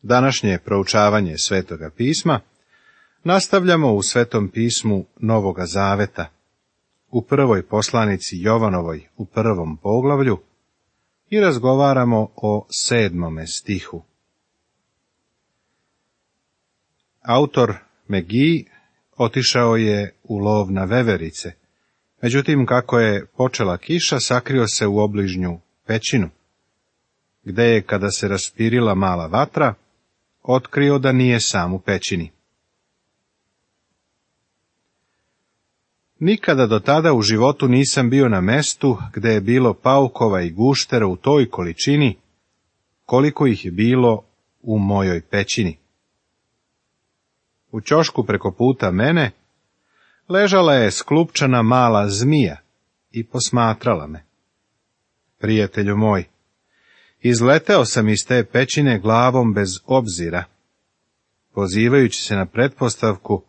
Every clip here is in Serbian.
Današnje proučavanje Svetoga pisma nastavljamo u Svetom pismu Novoga Zaveta, u prvoj poslanici Jovanovoj u 1. poglavlju i razgovaramo o 7. stihu. Autor Megi otišao je u lov na veverice, međutim kako je počela kiša, sakrio se u obližnju pećinu, gde je, kada se raspirila mala vatra, otkrio da nije sam u pećini. Nikada do tada u životu nisam bio na mestu gde je bilo paukova i guštera u toj količini, koliko ih je bilo u mojoj pećini. U ćošku preko puta mene ležala je sklupčana mala zmija i posmatrala me. Prijatelju moj, izleteo sam iz te pećine glavom bez obzira, pozivajući se na pretpostavku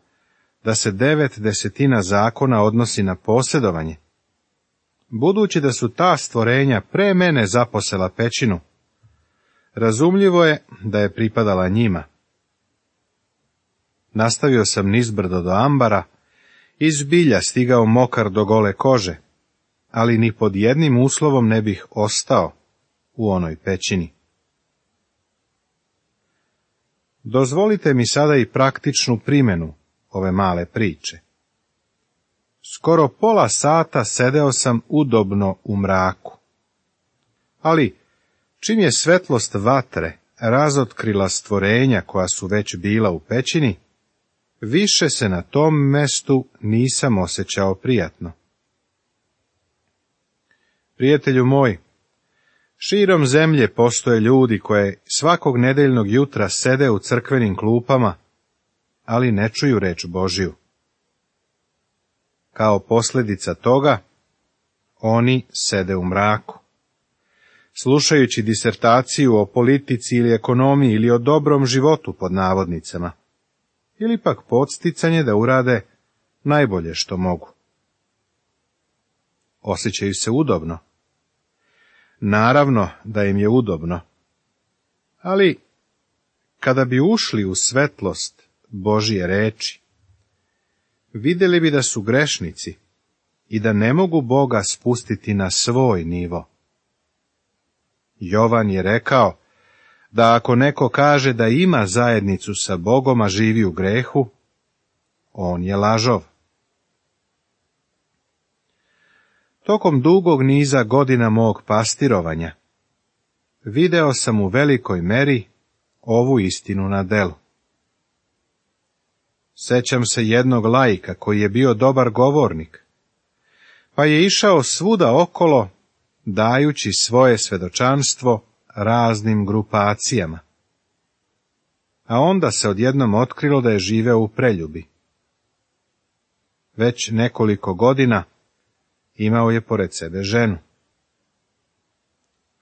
da se 9/10 zakona odnosi na posjedovanje. Budući da su ta stvorenja pre mene zaposela pećinu, razumljivo je da je pripadala njima. Nastavio sam nizbrdo do ambara i zbilja stigao mokar do gole kože, ali ni pod jednim uslovom ne bih ostao u onoj pećini. Dozvolite mi sada i praktičnu primjenu ove male priče. Skoro pola sata sedeo sam udobno u mraku. Ali, čim je svetlost vatre razotkrila stvorenja koja su već bila u pećini, više se na tom mestu nisam osjećao prijatno. Prijatelju moj, širom zemlje postoje ljudi koje svakog nedeljnog jutra sede u crkvenim klupama, ali ne čuju reč Božiju. Kao posljedica toga, oni sede u mraku. Slušajući disertaciju o politici ili ekonomiji ili o dobrom životu pod navodnicama, ili pak podsticanje da urade najbolje što mogu. Osjećaju se udobno. Naravno da im je udobno, ali kada bi ušli u svetlost Božije reči, vidjeli bi da su grešnici i da ne mogu Boga spustiti na svoj nivo. Jovan je rekao da ako neko kaže da ima zajednicu sa Bogom, a živi u grehu, on je lažov. Tokom dugog niza godina mog pastirovanja, video sam u velikoj meri ovu istinu na delu. Sećam se jednog laika koji je bio dobar govornik, pa je išao svuda okolo, dajući svoje svedočanstvo raznim grupacijama. A onda se odjednom otkrilo da je živeo u preljubi. Već nekoliko godina imao je pored sebe ženu.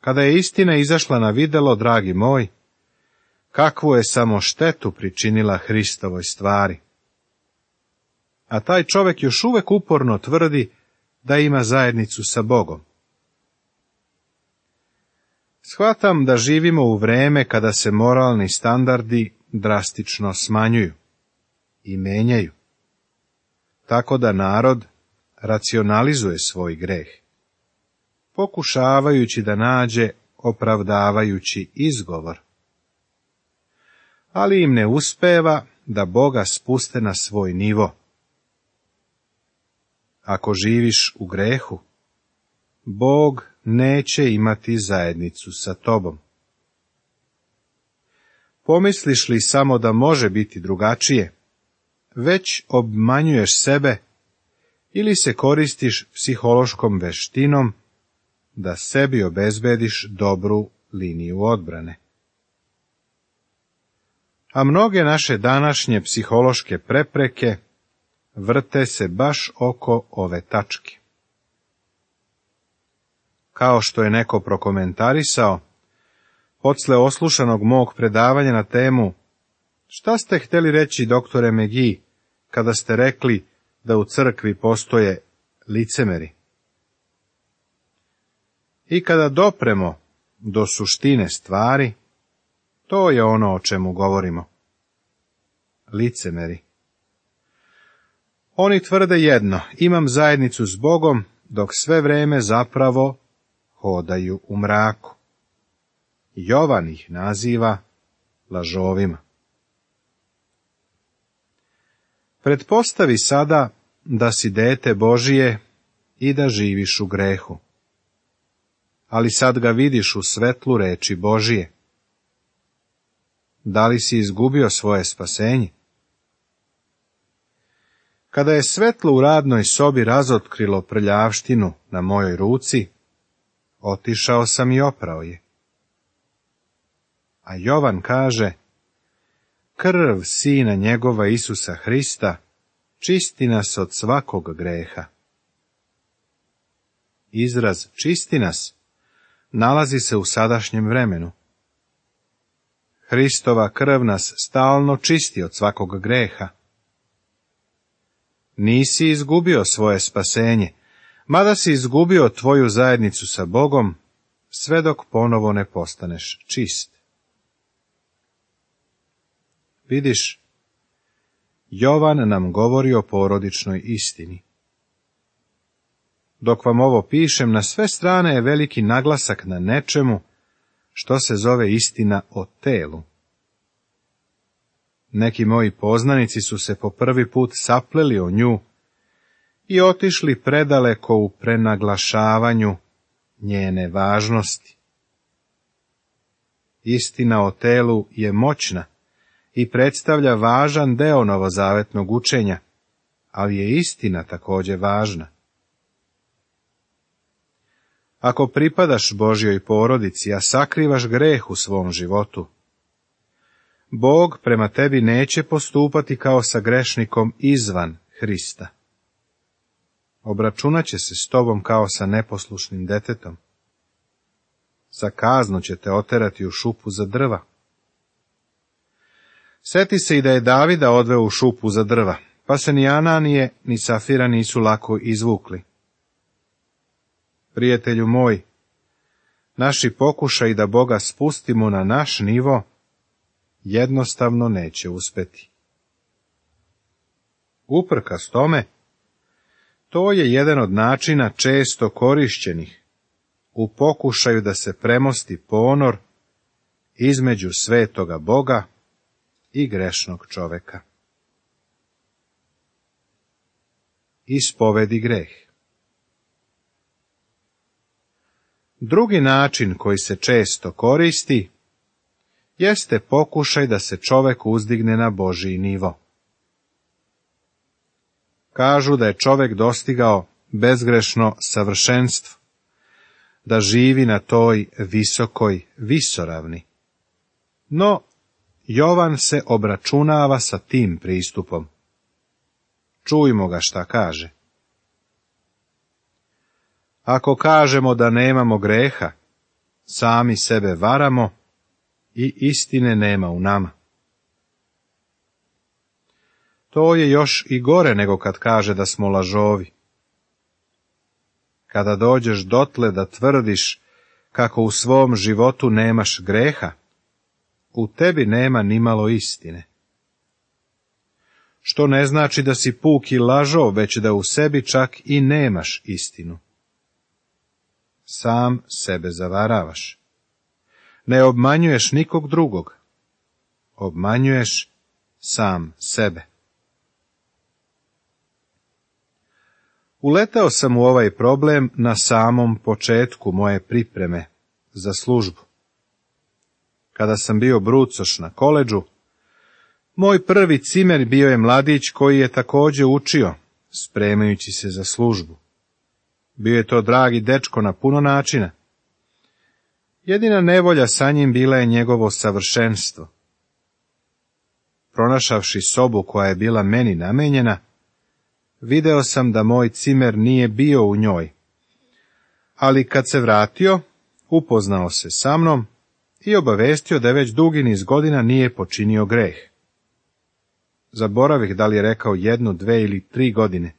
Kada je istina izašla na videlo, dragi moj, kakvu je samo štetu pričinila Hristovoj stvari. A taj čovjek još uvek uporno tvrdi da ima zajednicu sa Bogom. Shvatam da živimo u vreme kada se moralni standardi drastično smanjuju i menjaju, tako da narod racionalizuje svoj greh, pokušavajući da nađe opravdavajući izgovor. Ali im ne uspeva da Boga spuste na svoj nivo. Ako živiš u grehu, Bog neće imati zajednicu sa tobom. Pomisliš li samo da može biti drugačije, već obmanjuješ sebe ili se koristiš psihološkom veštinom da sebi obezbediš dobru liniju odbrane. A mnoge naše današnje psihološke prepreke vrte se baš oko ove tačke. Kao što je neko prokomentarisao, podsle oslušanog mog predavanja na temu "Šta ste htjeli reći, doktore Megi, kada ste rekli da u crkvi postoje licemeri?" I kada dopremo do suštine stvari, To je ono o čemu govorimo. Licemeri. Oni tvrde jedno, imam zajednicu s Bogom, dok sve vrijeme zapravo hodaju u mraku. Jovan ih naziva lažovima. Pretpostavi sada da si dete Božije i da živiš u grehu. Ali sad ga vidiš u svetlu reči Božije. Da li si izgubio svoje spasenje? Kada je svetlo u radnoj sobi razotkrilo prljavštinu na mojoj ruci, otišao sam i oprao je. A Jovan kaže, krv Sina njegova Isusa Hrista čisti nas od svakog greha. Izraz čisti nas nalazi se u sadašnjem vremenu. Hristova krv nas stalno čisti od svakog greha. Nisi izgubio svoje spasenje, mada si izgubio tvoju zajednicu sa Bogom, sve dok ponovo ne postaneš čist. Vidiš, Jovan nam govori o porodičnoj istini. Dok vam ovo pišem, na sve strane je veliki naglasak na nečemu što se zove istina o telu. Neki moji poznanici su se po prvi put sapleli o nju i otišli predaleko u prenaglašavanju njene važnosti. Istina o telu je moćna i predstavlja važan deo novozavetnog učenja, ali je istina također važna. Ako pripadaš Božjoj porodici, a sakrivaš greh u svom životu, Bog prema tebi neće postupati kao sa grešnikom izvan Hrista. Obračunat će se s tobom kao sa neposlušnim detetom. Za kaznu će te oterati u šupu za drva. Sjeti se i da je Davida odveo u šupu za drva, pa se ni Ananije ni Safira nisu lako izvukli. Prijatelju moj, naši pokušaji da Boga spustimo na naš nivo jednostavno neće uspjeti. Uprkos tome, to je jedan od načina često korišćenih u pokušaju da se premosti ponor između svetoga Boga i grešnog čoveka. Ispovedi greh. Drugi način koji se često koristi jeste pokušaj da se čovek uzdigne na Božji nivo. Kažu da je čovek dostigao bezgrešno savršenstvo, da živi na toj visokoj visoravni. No, Jovan se obračunava sa tim pristupom. Čujmo ga šta kaže. Ako kažemo da nemamo greha, sami sebe varamo i istine nema u nama. To je još i gore nego kad kaže da smo lažovi. Kada dođeš dotle da tvrdiš kako u svom životu nemaš greha, u tebi nema nimalo istine. Što ne znači da si puki lažov, već da u sebi čak i nemaš istinu. Sam sebe zavaravaš. Ne obmanjuješ nikog drugog. Obmanjuješ sam sebe. Uletao sam u ovaj problem na samom početku moje pripreme za službu. Kada sam bio brucoš na koledžu, moj prvi cimer bio je mladić koji je također učio, spremajući se za službu. Bio je to dragi dečko na puno načina. Jedina nevolja sa njim bila je njegovo savršenstvo. Pronašavši sobu koja je bila meni namenjena, video sam da moj cimer nije bio u njoj, ali kad se vratio, upoznao se sa mnom i obavestio da već dugi niz godina nije počinio greh. Zaboravih da li je rekao 1, 2 ili 3 godine.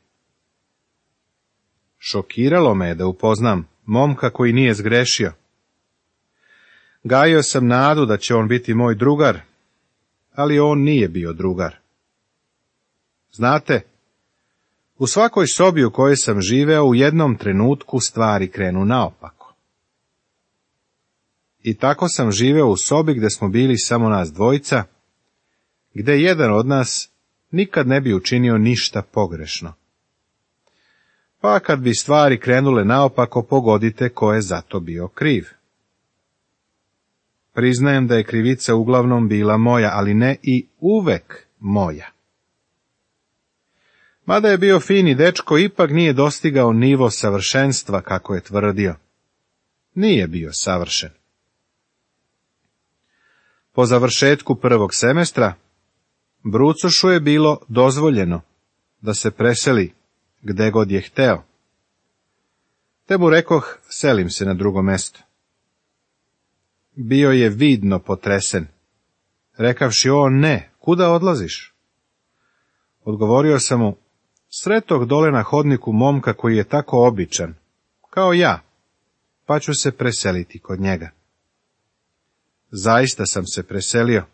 Šokiralo me je da upoznam momka koji nije zgrešio. Gajio sam nadu da će on biti moj drugar, ali on nije bio drugar. Znate, u svakoj sobi u kojoj sam živeo u jednom trenutku stvari krenu naopako. I tako sam živeo u sobi gdje smo bili samo nas dvojica, gdje jedan od nas nikad ne bi učinio ništa pogrešno. Pa kad bi stvari krenule naopako, pogodite ko je za to bio kriv. Priznajem da je krivica uglavnom bila moja, ali ne i uvek moja. Mada je bio fini dečko, ipak nije dostigao nivo savršenstva, kako je tvrdio. Nije bio savršen. Po završetku prvog semestra, Brucošu je bilo dozvoljeno da se preseli gde god je hteo. Te mu rekoh, selim se na drugo mesto. Bio je vidno potresen. Rekavši, o ne, kuda odlaziš? Odgovorio sam mu, sretog dole na hodniku momka koji je tako običan, kao ja, pa ću se preseliti kod njega. Zaista sam se preselio.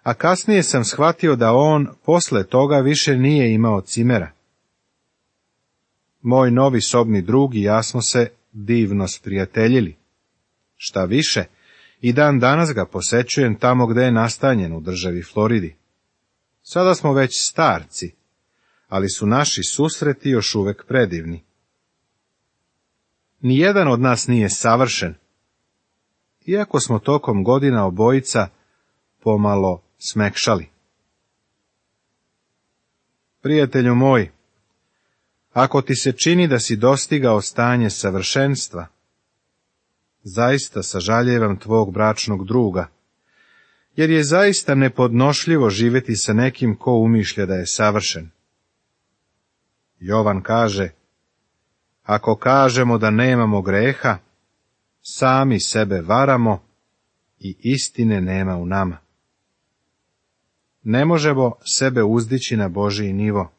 A kasnije sam shvatio da on posle toga više nije imao cimera. Moj novi sobni drug i ja smo se divno sprijateljili. Šta više, i dan danas ga posećujem tamo gde je nastanjen u državi Floridi. Sada smo već starci, ali su naši susreti još uvek predivni. Nijedan od nas nije savršen, iako smo tokom godina obojica pomalo smekšali. Prijatelju moj, ako ti se čini da si dostigao stanje savršenstva, zaista sažaljevam tvog bračnog druga, jer je zaista nepodnošljivo živjeti sa nekim ko umišlja da je savršen. Jovan kaže, ako kažemo da nemamo greha, sami sebe varamo i istine nema u nama. Ne možemo sebe uzdići na Božji nivo.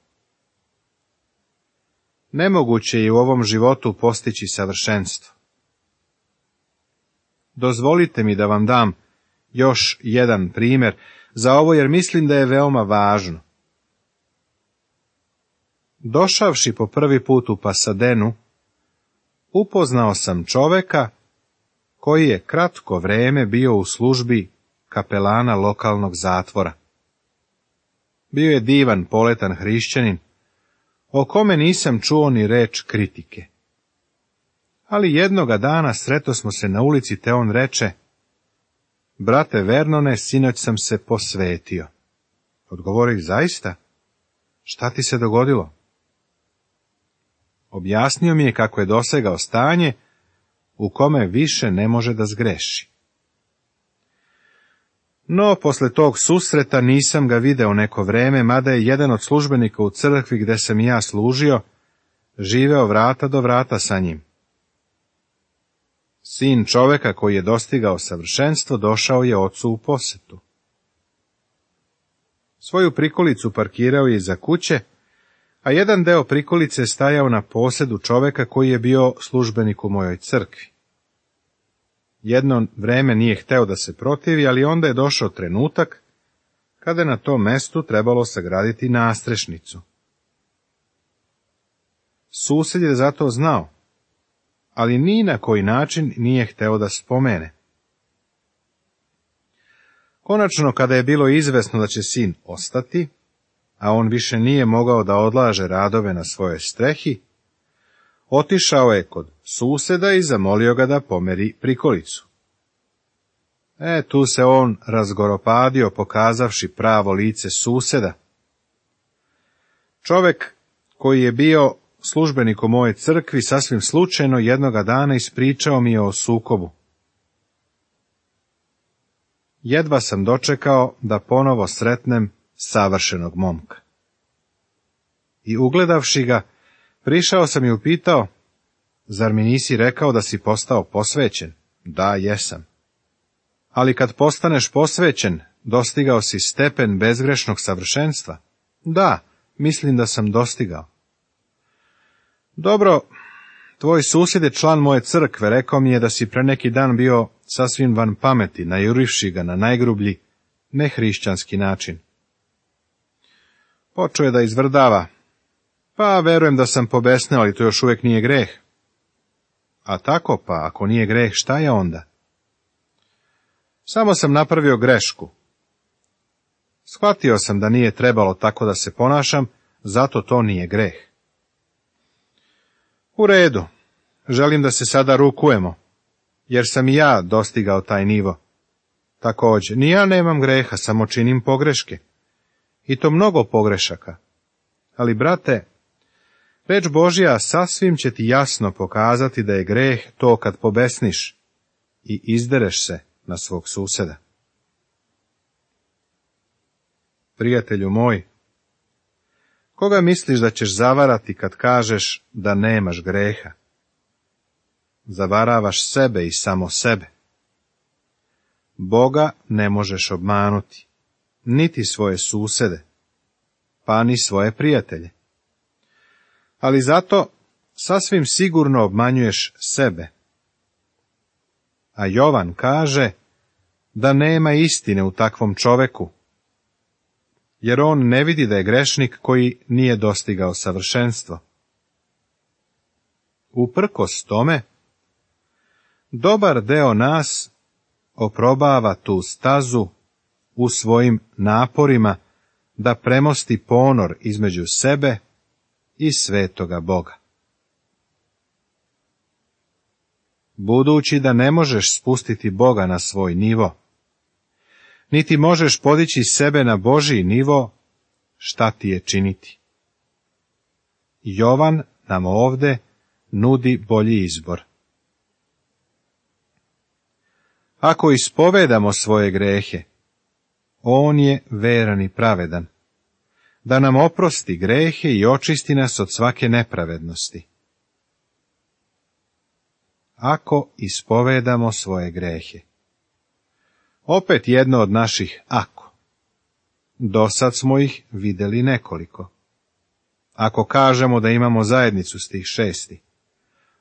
Nemoguće je u ovom životu postići savršenstvo. Dozvolite mi da vam dam još jedan primjer za ovo, jer mislim da je veoma važno. Došavši po prvi put u Pasadenu, upoznao sam čoveka koji je kratko vreme bio u službi kapelana lokalnog zatvora. Bio je divan, poletan hrišćanin, o kome nisam čuo ni reč kritike. Ali jednoga dana sretosmo se na ulici, te on reče, brate Vernone, sinoć sam se posvetio. Odgovorih, zaista? Šta ti se dogodilo? Objasnio mi je kako je dosegao stanje u kome više ne može da zgreši. No, posle tog susreta nisam ga video neko vreme, mada je jedan od službenika u crkvi gde sam i ja služio, živeo vrata do vrata sa njim. Sin čoveka koji je dostigao savršenstvo došao je ocu u posetu. Svoju prikolicu parkirao je iza kuće, a jedan deo prikolice stajao na posedu čoveka koji je bio službenik u mojoj crkvi. Jedno vreme nije hteo da se protivi, ali onda je došao trenutak kada je na tom mestu trebalo sagraditi nastrešnicu. Sused je za to znao, ali ni na koji način nije hteo da spomene. Konačno, kada je bilo izvesno da će sin ostati, a on više nije mogao da odlaže radove na svojoj strehi, otišao je kod suseda i zamolio ga da pomeri prikolicu. Tu se on razgoropadio, pokazavši pravo lice suseda. Čovek koji je bio službenik u moje crkvi sasvim slučajno jednoga dana ispričao mi je o sukobu. Jedva sam dočekao da ponovo sretnem savršenog momka. I ugledavši ga, prišao sam i upitao, zar mi nisi rekao da si postao posvećen? Da, jesam. Ali kad postaneš posvećen, dostigao si stepen bezgrešnog savršenstva? Da, mislim da sam dostigao. Dobro, Tvoj susjed je član moje crkve, rekao mi je da si pre neki dan bio sasvim van pameti, najurivši ga na najgrublji, nehrišćanski način. Počeo je da izvrdava. Pa, verujem da sam pobesneo, ali to još uvijek nije greh. A tako pa, ako nije greh, šta je onda? Samo sam napravio grešku. Shvatio sam da nije trebalo tako da se ponašam, zato to nije greh. U redu, želim da se sada rukujemo, jer sam i ja dostigao taj nivo. Također, ni ja nemam greha, samo činim pogreške. I to mnogo pogrešaka. Ali, brate, reč Božja sasvim će ti jasno pokazati da je greh to kad pobesniš i izdereš se na svog suseda. Prijatelju moj, koga misliš da ćeš zavarati kad kažeš da nemaš greha? Zavaravaš sebe i samo sebe. Boga ne možeš obmanuti, niti svoje susede, pa ni svoje prijatelje. Ali zato sasvim sigurno obmanjuješ sebe. A Jovan kaže da nema istine u takvom čoveku, jer on ne vidi da je grešnik koji nije dostigao savršenstvo. Uprkos tome, dobar deo nas oprobava tu stazu u svojim naporima da premosti ponor između sebe i svetoga Boga. Budući da ne možeš spustiti Boga na svoj nivo, niti možeš podići sebe na Božji nivo, šta ti je činiti? Jovan nam ovde nudi bolji izbor. Ako ispovedamo svoje grehe, on je veran i pravedan, da nam oprosti grehe i očisti nas od svake nepravednosti. Ako ispovedamo svoje grehe. Opet jedno od naših ako. Dosad smo ih vidjeli nekoliko. Ako kažemo da imamo zajednicu stih 6.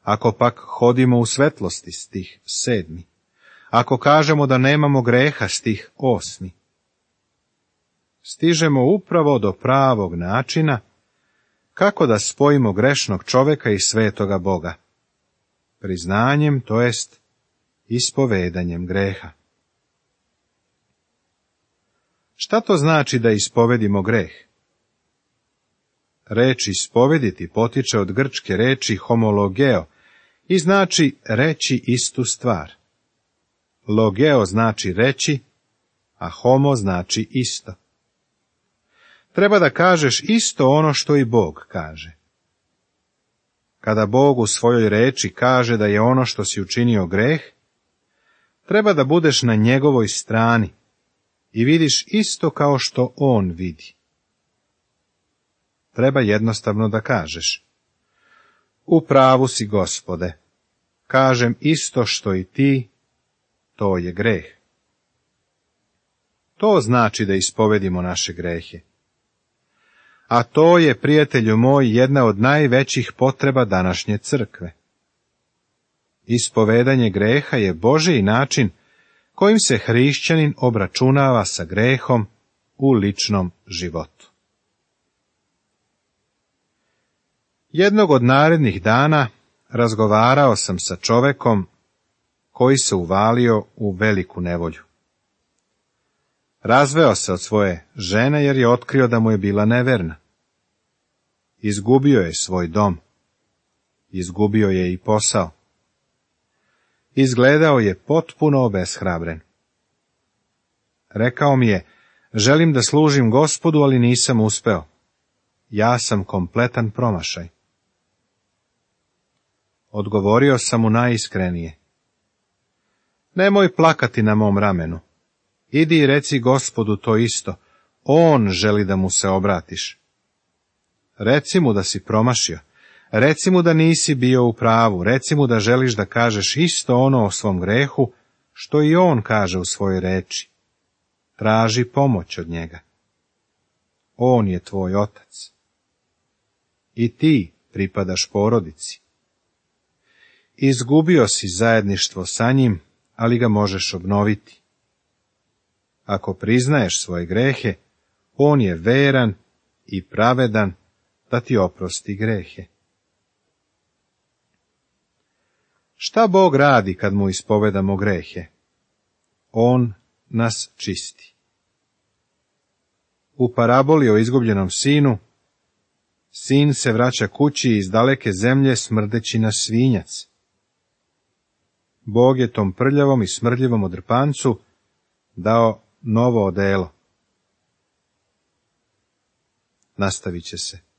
Ako pak hodimo u svetlosti stih 7. Ako kažemo da nemamo greha stih 8. Stižemo upravo do pravog načina kako da spojimo grešnog čoveka i svetoga Boga. Priznanjem, to jest ispovedanjem greha. Šta to znači da ispovedimo greh? Reč ispovediti potiče od grčke reči homologeo i znači reći istu stvar. Logeo znači reći, a homo znači isto. Treba da kažeš isto ono što i Bog kaže. Kada Bog u svojoj reči kaže da je ono što si učinio greh, treba da budeš na njegovoj strani i vidiš isto kao što on vidi. Treba jednostavno da kažeš: u pravu si, Gospode, kažem isto što i ti, to je greh. To znači da ispovedimo naše grehe. A to je, prijatelju moj, jedna od najvećih potreba današnje crkve. Ispovedanje greha je Božji način kojim se hrišćanin obračunava sa grehom u ličnom životu. Jednog od narednih dana razgovarao sam sa čovekom koji se uvalio u veliku nevolju. Razveo se od svoje žene jer je otkrio da mu je bila neverna. Izgubio je svoj dom. Izgubio je i posao. Izgledao je potpuno obeshrabren. Rekao mi je: želim da služim Gospodu, ali nisam uspeo. Ja sam kompletan promašaj. Odgovorio sam mu najiskrenije: nemoj plakati na mom ramenu. Idi i reci Gospodu to isto. On želi da mu se obratiš. Reci mu da si promašio. Reci mu da nisi bio u pravu. Reci mu da želiš da kažeš isto ono o svom grehu, što i on kaže u svojoj reči. Traži pomoć od njega. On je tvoj otac. I ti pripadaš porodici. Izgubio si zajedništvo sa njim, ali ga možeš obnoviti. Ako priznaješ svoje grehe, on je veran i pravedan da ti oprosti grehe. Šta Bog radi kad mu ispovedamo grehe? On nas čisti. U paraboli o izgubljenom sinu, sin se vraća kući iz daleke zemlje smrdeći na svinjac. Bog je tom prljavom i smrdljivom odrpancu dao novo odelo. Nastavit će se.